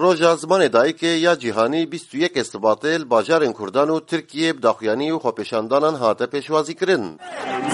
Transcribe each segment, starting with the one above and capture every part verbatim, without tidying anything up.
Roja Zimanê Dayikê ya Cîhanî bîst û yekê Sibatê li bajarên Kurdan û Tirkiyê bi daxuyanî û xwepêşandanan hate pêşwazîkirin.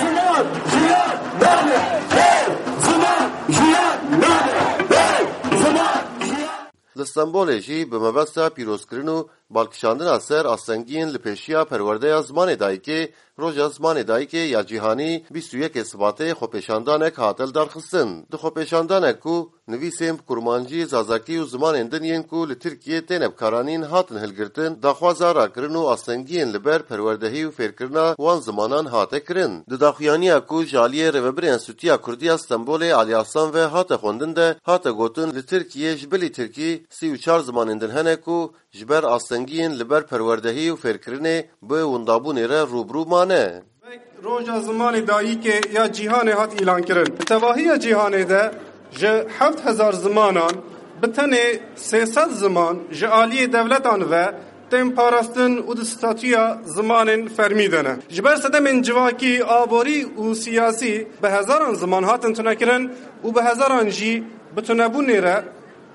Ziman, jiyan, nane, hey! Ziman, jiyan, nane, hey! Ziman, jiyan. Li Stenbolê jî bi mebesta pîrozkirin û balkişandina ser astengiyên li pêşiya perwerdeya zimanê dayikê, Roja Zimanê Dayikê ya Cîhanî bîst û yekê Sibatê xwepêşandanek hate lidarxistin. Di xwepêşandanek ku nivîsên bi kurmancî, zazakî û zimanên din yên ku li Tirkiyê têne bikaranîn hatin hilgirtin, daxwaza rakirin û astengiyên li ber perwerdehî û fêrkirina wan zimanan hate kirin. Di daxuyaniya ku ji aliyê Rêvebirê Enstîtuya Kurdî ya Stenbolê Alî Aslan ve hate xwendin de hate gotin, li Tirkiyê ji bilî tirkî sî û çar zimanên din hene ku ji ber astengiyên li ber perwerdehî û fêrkirinê bi windabûnê re rû bi rû mane. Roja Zimanê Dayikê ya Cîhanê hat îlankirin. Di tevahiya cîhanê de ji heft hezar zimanan bi tenê sê sed ziman ji aliyê dewletan ve tên parastin û di statûya zimanên fermî de ne. Ji ber sedemên civakî, aborî û siyasî bi hezaran ziman hatin tunekirin û bi hezaran jî bi tunebûnê re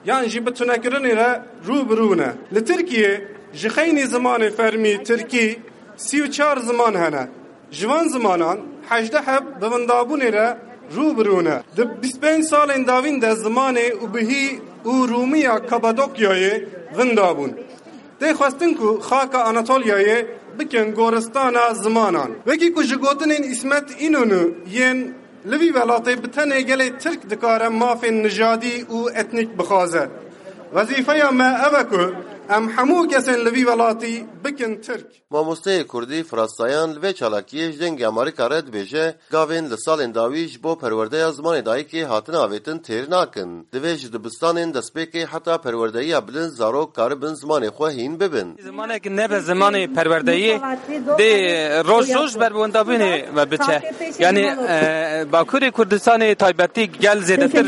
yan jî bi tunekirinê re rû bi rû ne. Li Tirkiyê ji xeynî zimanê fermî tirkî sî û çar ziman hene. Ji van zimanan hejdeh heb bi windabûnê re rû bi rû ne. Di bîst pênc salên dawîn de zimanê ubihî û rûmiya Kapadokyayê winda bûn. Tê xwestin ku xaka Anatolyayê bikin goristana zimanan. Wekî ku ji gotinên Îsmet Înonû yên Li vî welatê bi tenê gelê Tirk dikare mafên nijadî û etnîk bixwaze. Wezîfeya me ev e ku em hemû kesên li vî welatî bikin Tirk. Mamosteyê Kurdî Firas Sayan li vê çalakiyê ji Dengê Amerîka re dibêje, gavên li salên dawî ji bo perwerdeya zimanê dayikê hatine avêtin têr nakin. Divê ji dibistanên destpêkê heta perwerdeyiya bilind zarok karibin zimanê xwe hîn bibin. Zimanek nebe zimanê perwerdeyê dê roj roj ber bi wendabûnê ve biçe. Yanî, e, Bakurê Kurdistanê taybetî gel zêdetir,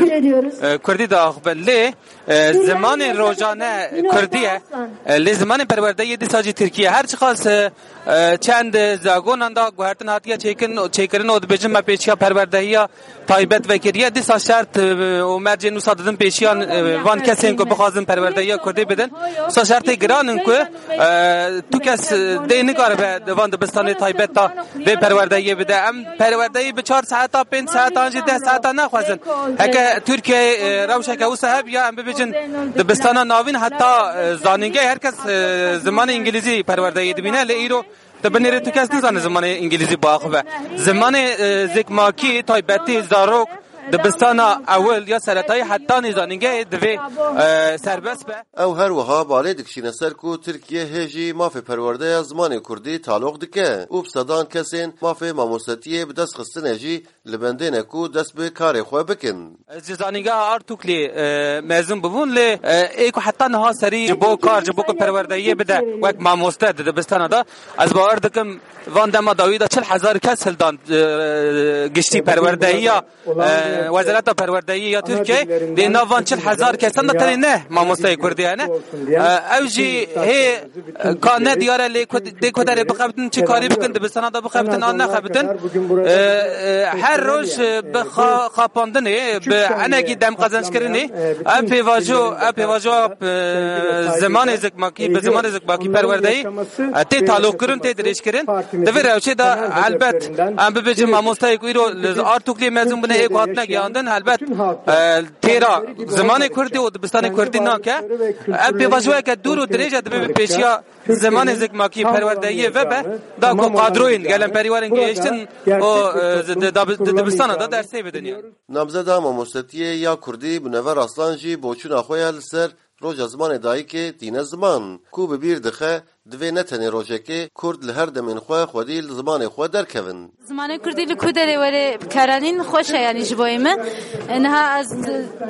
e, Kurdî diaxive. Lê, e, zimanê rojane Kurdî ye. E, lê zimanê perwerdeyê dîsa jî Tirkî ye. Her çiqas, e, e, çend zagonan da guhertin hatiye çêkin, çêkirin û dibêjin me pêşiya perwerdeyiya taybet vekiriye. Dîsa şert, e, û mercên wisa didin pêşiyan, e, van kesên ku bixwazin perwerdeyiya Kurdî bidin. Wisa şertê giran in ku, e, tu kes, e, dê nikaribe di van dibistanê taybet de vê perwerdeyiyê bide. Em perwerdeyî bi çar saeta, pênc saetan jî deh saetan naxwazin. Heke Tirkiyeyê, e, rewşeke wisa hebiya, em bibêjin dibistana navîn heta, e, zanîngehê her kes, e, zimanê îngilîzî perwerdeyê dibîne. Lê îro Di binêrê tu kes nizane zimanê îngilîzî biaxive. Zimanê, e, zikmakî, taybetî, zarok, dibistana ewil ya seretayî heta nîzanîngehê divê, e, serbest be. Ew her wiha balê dikişîne ser ku Tirkiye hê jî mafê perwerdeya zimanê kurdî taloq dike û bi sedan kesên mafê mamostetiyê bi dest xistine jî li bendê ne ku dest bi karê xwe bikin. Ez ji Zanîngeha Artuklê, e, mezin bibûn, lê, e, ê ku heta niha serî ji bo kar, ji bo ku perwerdeyiyê bide wek mamoste di dibistana de, ez bawer dikim van dema dawî de çil hezar kes hildan, e, giştî perwerdeyiya, e, Wezareta Perwerdeyiyê ya Tirkiyeyê, lê nav van çil hezar kesan de tenê ne mamosteyê Kurdî hene. E, ew jî hê Ka ne diyar e, lê ku, dê ku derê bixebitin, çi karî bikin, dibistana da bixebitin an nexebitin. E, e, her roj, e, bi xa-, xapandinê, bi enekî dem qezençkirinê, ev pêvajo, ev pêvajo, e, zimanê zikmakî, bi zimanê zikmakî perwerdeyî, e, tê taloqkirin, tê dirêjkirin. Di vê rewşê de helbet, em bibêjin mamosteyê ku îro li Artuklê mezin bûne, ê ku hatine giyandin, helbet, e, têra zimanê kurdî û dibistanê kurdî nake. Ev pêvajoyeke dûr û dirêj e, dibe bi pêşiya zimanê zikmakî perwerdeyiyê vebe, da ku qadroyên gelemperî werin gihiştin û, e, di, di, di, di dibistana da dersê bidin ya. Namzeda mamostetiyê ya kurdî Munevver Aslan jî boçûna xwe ya li ser Roja Zimanê Dayikê tîne ziman, ku bi bîr dixe, divê ne tenê rojekê Kurd li her demên xwe xwedî li zimanê xwe derkevin. Zimanê kurdî li ku derê were bikaranîn xweş e, yanî ji bo min. E, niha ez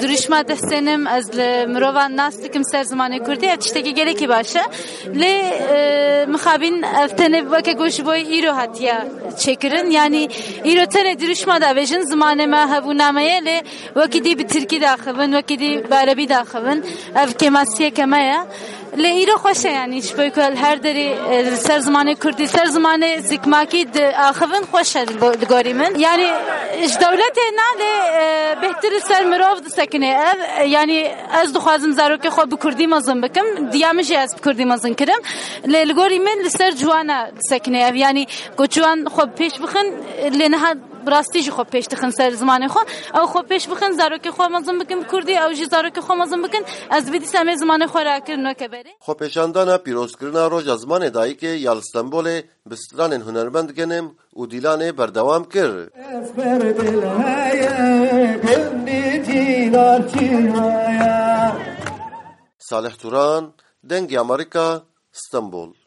dirûşma dihsênim, ez li mirovan nas dikim ser zimanê kurdî, ev tiştekî gelekî baş e. Lê, e, mixabin ev tenê weke ku ji bo îro hatiye çêkirin. Yanî îro tenê dirûşma da bêjin zimanê me hebûna me ye, lê wekî dî bi tirkî daxivin, wekî dî bi erebî daxivin. Ev kêmasiyeke me ye. Lê îro xweş e, yanî ji bo ku li her derê, e, li ser zimanê kurdî, ser zimanê zikmakî diaxivin, xweş e li bo-, li gorî min. Yanî ji dewletê na, lê, e, bêhtir li ser mirov disekine ev. E, yanî ez dixwazim zarokê xwe bi kurdî mezin bikim. Diya min jî ez bi kurdî mezin kirim. Lê li gorî min li ser ciwana disekine ev. Yanî ku ciwan xwe bi pêş bixin, lê niha bi rastî jî xwe pêş dixin ser zimanê xwe. Ew xwe pêş bixin, zarokê xwe mezin bikin bi kurdî, ew jî zarokê xwe mezin bikin. Ez dibî dîsa em ê zimanê xwe rakirin weke berê. Xwepêşandana pîrozkirina Roja Zimanê Dayikê ya li Stenbolê bi stranên hunermend Genim û Dîlanê berdewam kir. Ez ber dil heye, gundî cînar çi haya. Salih Turan, Dengê Amerîka, Stenbol.